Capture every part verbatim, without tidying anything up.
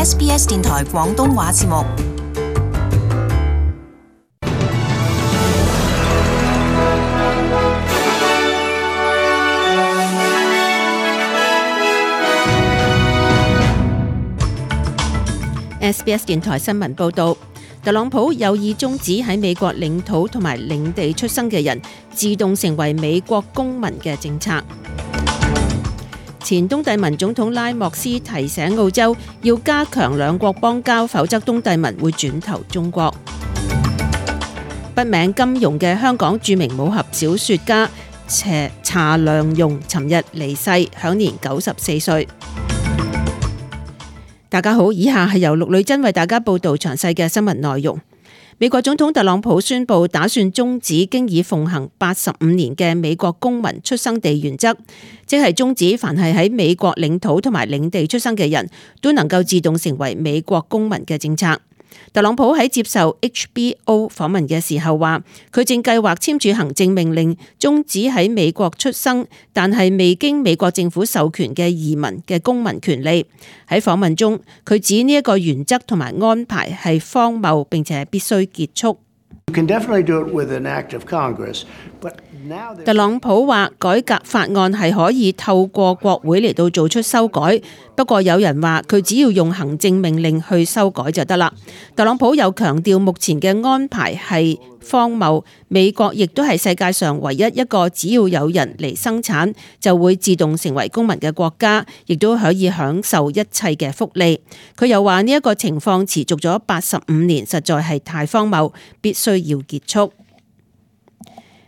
S B S 電台廣東話節目。S B S 電台新聞報導，特朗普有意終止喺美國領土同埋領地出生嘅人自動成為美國公民嘅政策。前東帝汶總統拉莫斯提醒澳洲要加強兩國邦交，否則東帝汶會轉投中國。筆名金庸嘅香港著名武俠小說家查良鏞尋日離世，享年九十四歲。大家好，以下係由陸女真為大家報道詳細嘅新聞內容。美國總統特朗普宣布打算終止經已奉行八十五年嘅美國公民出生地原則，即係終止凡係喺美國領土同埋領地出生嘅人都能夠自動成為美國公民嘅政策。特朗普喺接受 H B O 訪問嘅時候話，佢正計劃簽署行政命令，終止喺美國出生但係未經美國政府授權嘅移民嘅公民權利。喺訪問中，佢指呢一個原則同埋安排係荒謬，並且必須結束。特朗普話改革法案係可以透過國會嚟到做出修改，不過有人話佢只要用行政命令去修改就得啦。特朗普又強調目前嘅安排係荒謬，美國亦都係世界上唯一一個只要有人嚟生產就會自動成為公民嘅國家，亦都可以享受一切嘅福利。佢又話呢一個情況持續咗八十五年，實在係太荒謬，必須要結束。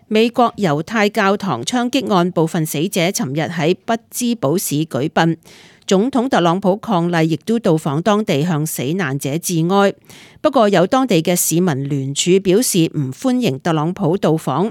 美國猶太教堂槍擊案部分死者尋日喺匹茲堡市舉殯，總統特朗普伉儷亦都到訪當地向死難者致哀。不過有當地嘅市民聯署表示唔歡迎特朗普到訪。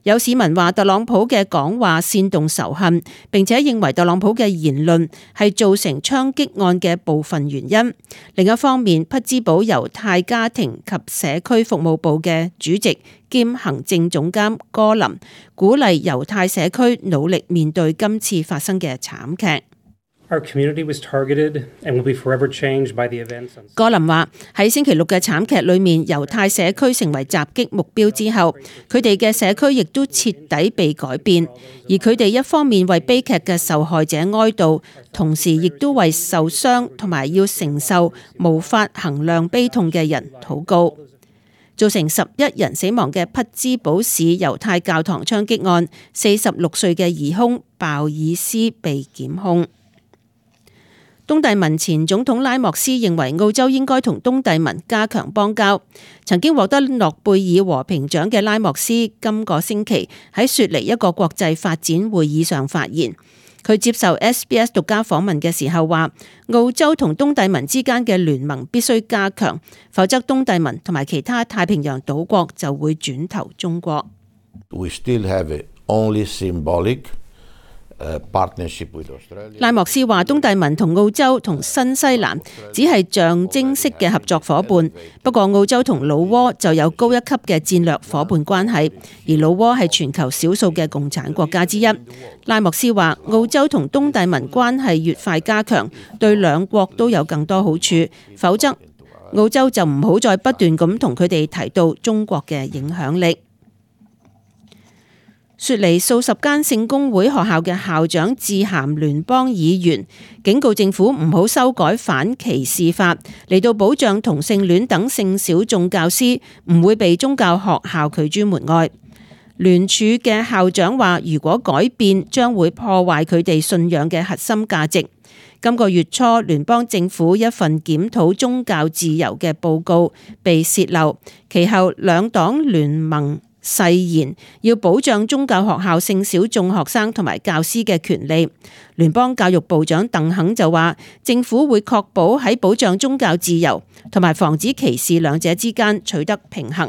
有市民話特朗普嘅講話煽動仇恨，並且認為特朗普嘅言論係造成槍擊案嘅部分原因。另一方面，匹茲堡猶太家庭及社區服務部嘅主席兼行政總監戈林鼓勵猶太社區努力面對今次發生嘅慘劇。Our community was targeted and will be forever changed by the events. 戈林話喺星期六嘅慘劇裏面，猶太社區成為襲擊目標之後，佢哋嘅社區亦都徹底被改變，而佢哋一方面為悲劇嘅受害者哀悼，同時亦都為受傷同埋要承受無法衡量悲痛嘅人禱告。造成十一人死亡嘅匹茲堡市猶太教堂槍擊案，四十六歲嘅疑兇鮑爾斯被檢控。東帝汶前總統拉莫斯認為澳洲應該同東帝汶加強邦交。曾經獲得諾貝爾和平獎嘅拉莫斯今個星期喺雪梨一個國際發展會議上發言。佢接受 S B S 獨家訪問嘅時候話，澳洲同東帝汶之間嘅聯盟必須加強，否則東帝汶同埋其他太平洋島國就會轉投中國。We still have only symbolic拉莫斯話：東帝汶同澳洲同新西蘭只係象徵式嘅合作伙伴，不過澳洲同老撾就有高一級嘅戰略伙伴關係，而老撾係全球少數嘅共產國家之一。拉莫斯話：澳洲同東帝汶關係越快加強，對兩國都有更多好處，否則澳洲就唔好再不斷咁同佢哋提到中國嘅影響力。雪梨數十間聖公會學校嘅校長致函聯邦議員，警告政府唔好修改反歧視法，嚟到保障同性戀等性小眾教師唔會被宗教學校拒諸門外。聯署嘅校長話，如果改變將會破壞佢哋信仰嘅核心價值。今個月初，聯邦政府一份檢討宗教自由嘅報告被洩漏，其後兩黨聯盟誓言要保障宗教學校性小眾學生同埋教師嘅權利。聯邦教育部長鄧肯就話，政府會確保喺保障宗教自由同埋防止歧視兩者之間取得平衡。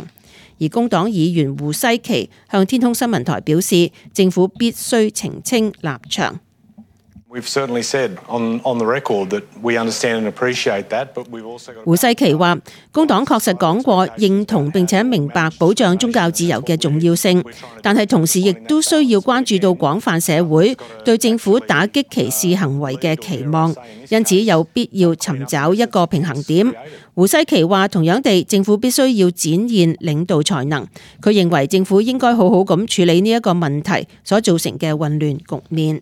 而工黨議員胡西奇向天空新聞台表示，政府必須澄清立場。胡世奇話：工黨確實講過認同並且明白保障宗教自由嘅重要性，但係同時亦都需要關注到廣泛社會對政府打擊歧視行為嘅期望，因此有必要尋找一個平衡點。胡世奇話：同樣地，政府必須要展現領導才能。佢認為政府應該好好咁處理呢一個問題所造成嘅混亂局面。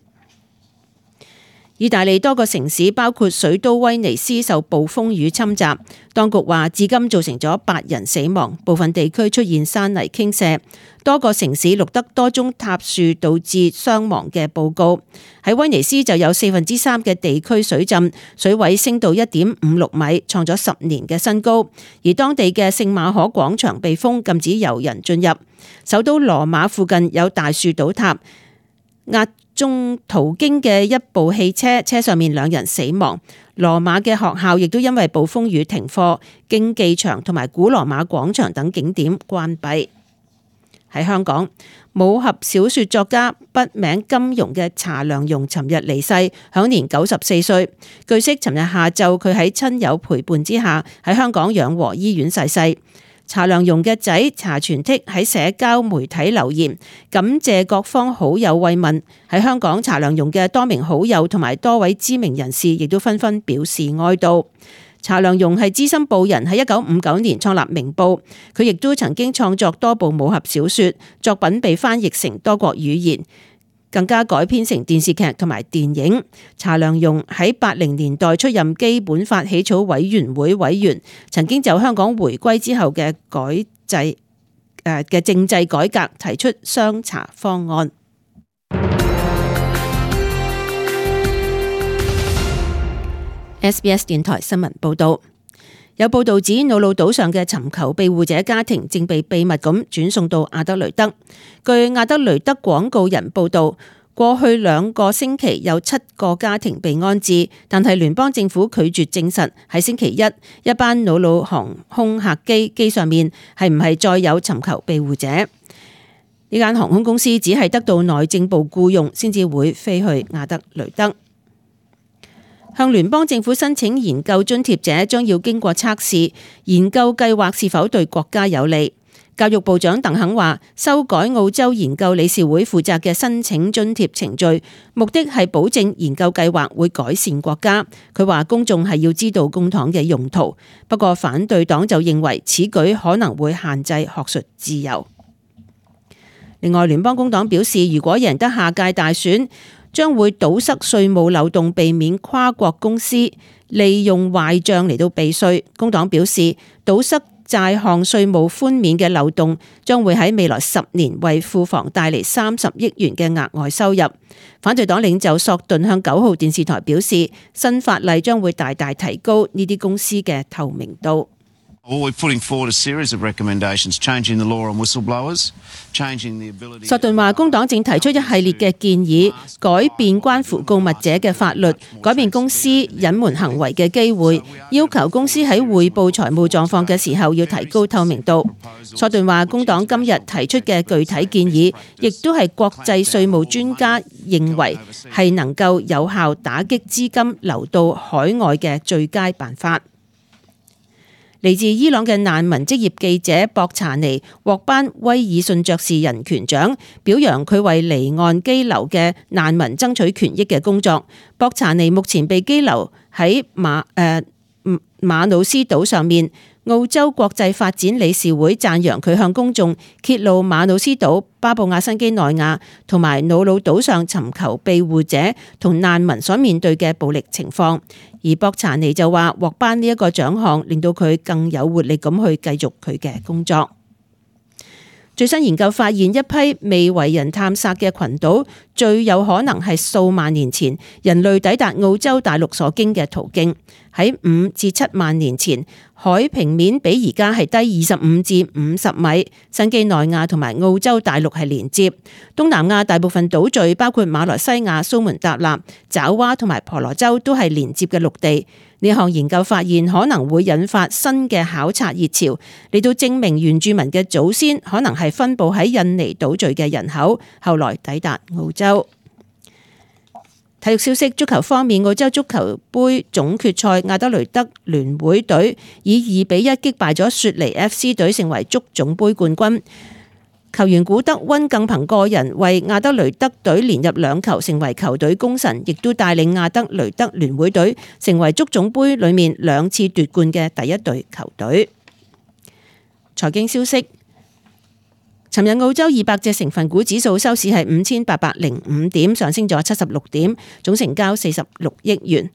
意大利多個城市包括水都威尼斯受暴風雨侵襲，當局話至今造成咗八人死亡，部分地區出現山泥傾瀉，多個城市錄得多宗塌樹導致傷亡嘅報告。喺威尼斯就有四分之三嘅地區水浸，水位升到一點五六米，創咗十年嘅新高。而當地嘅聖馬可廣場被封，禁止遊人進入。首都羅馬附近有大樹倒塌，壓中途經嘅一部汽車，車上面兩人死亡。羅馬嘅學校亦都因為暴風雨停課，競技場同埋古羅馬廣場等景點關閉。喺香港，武俠小說作家筆名金庸嘅查良鏞尋日離世，享年九十四歲。據悉，尋日下晝佢喺親友陪伴之下喺香港養和醫院逝世。查良鏞嘅仔查傳剔喺社交媒體留言，感謝各方好友慰問。喺香港，查良鏞嘅多名好友同埋多位知名人士亦都紛紛表示哀悼。查良鏞係資深報人，喺一九五九年創立明報，佢亦都曾經創作多部武俠小說，作品被翻譯成多國語言，更加改編成電視劇同埋電影。查良鏞喺八零年代出任基本法起草委員會委員，曾經就香港回歸之後嘅改制誒嘅政制改革提出雙查方案。S B S 電台新聞報道，有報道指瑙魯島上嘅尋求庇護者家庭正被秘密咁轉送到阿德雷德。據阿德雷德廣告人報道，過去兩個星期有七個家庭被安置，但係聯邦政府拒絕證實喺星期一一班瑙魯航空客機機上面係唔係再有尋求庇護者。呢間航空公司只係得到內政部僱用先至會飛去阿德雷德。向聯邦政府申請研究津貼者將要經過測試，研究計劃是否對國家有利。教育部長鄧肯話，修改澳洲研究理事會負責嘅申請津貼程序，目的係保證研究計劃會改善國家。佢話公眾係要知道公帑嘅用途，不過反對黨就認為此舉可能會限制學術自由。另外，聯邦工黨表示，如果贏得下屆大選，將會堵塞稅務漏洞，避免跨國公司利用壞賬嚟到避稅。工黨表示，堵塞債項稅務寬免嘅漏洞將會喺未來十年為庫房帶嚟三十億元嘅額外收入。反對黨領袖索頓向九號電視台表示，新法例將會大大提高呢啲公司嘅透明度。索頓話，工黨正提出一系列嘅建議，改變關乎告密者嘅法律，改變公司隱瞞行為嘅機會，要求公司喺匯報財務狀況嘅時候要提高透明度。索頓話，工黨今日提出嘅具體建議，亦都係國際稅務專家認為係能夠有效打擊資金流到海外嘅最佳辦法。嚟自伊朗嘅難民職業記者博查尼獲頒威爾遜爵士人權獎，表揚佢為離岸羈留嘅難民爭取權益嘅工作。博查尼目前被羈留喺馬誒、呃、馬努斯島上面。澳洲國際發展理事會讚揚佢向公眾揭露馬努斯島、巴布亞新畿內亞同埋瑙魯島上尋求庇護者同難民所面對嘅暴力情況。而博查尼就話獲頒呢一個獎項令到佢更有活力咁去繼續佢嘅工作。最新研究發現，一批未為人探索嘅群島最有可能係數萬年前人類抵達澳洲大陸所經嘅途徑。喺五至七萬年前，海平面比而家係低二十五至五十米。新畿內亞同埋澳洲大陸係連接，東南亞大部分島嶼包括馬來西亞、蘇門答臘、爪哇同埋婆羅洲都係連接嘅陸地。呢項研究發現可能會引發新嘅考察熱潮，嚟到證明原住民嘅祖先可能係分佈喺印尼島嶼嘅人口，後來抵達澳洲。體育消息，足球方面，澳洲足球杯總決賽，亞德雷德聯會隊以二比一擊敗咗雪梨 F C 隊，成為足總杯冠軍。球員古德溫更憑個人為亞德雷德隊連入兩球，成為球隊功臣，亦都帶領亞德雷德聯會隊成為足總杯裏面兩次奪冠嘅第一隊球隊。財經消息，尋日澳洲二百隻成分股指數收市係五千八百零五點，上升咗七十六點，總成交四十六億元。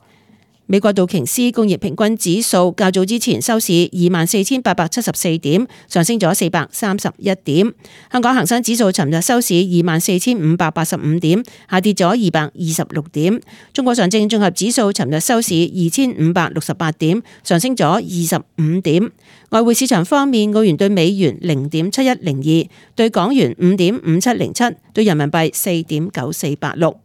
美國道瓊斯工業平均指數較早之前收市二萬四千八百七十四點，上升咗四百三十一點。香港恒生指數尋日收市二萬四千五百八十五點，下跌咗二百二十六點。中國上證綜合指數尋日收市二千五百六十八點，上升咗二十五點。外匯市場方面，澳元對美元零點七一零二，對港元五點五七零七，對人民幣四點九四八六。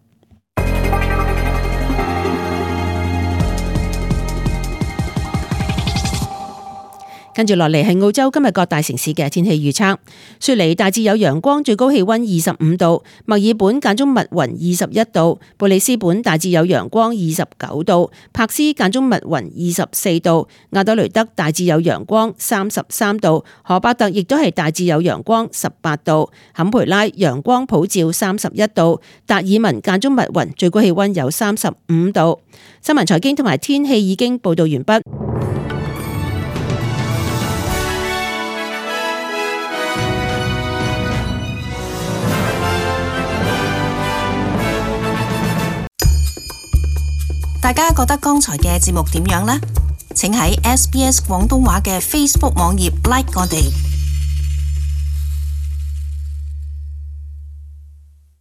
跟住落嚟係澳洲今日各大城市嘅天氣預測。雪梨大致有陽光，最高氣溫二十五度；墨爾本間中密雲，二十一度；布里斯本大致有陽光，二十九度；柏斯間中密雲，二十四度；亞德雷德大致有陽光，三十三度；荷伯特亦都係大致有陽光，十八度；坎培拉陽光普照，三十一度；達爾文間中密雲，最高氣溫有三十五度。新聞財經同埋天氣已經報道完畢。大家覺得剛才嘅節目點樣呢？請喺 S B S 廣東話嘅 Facebook 網頁 like 我哋。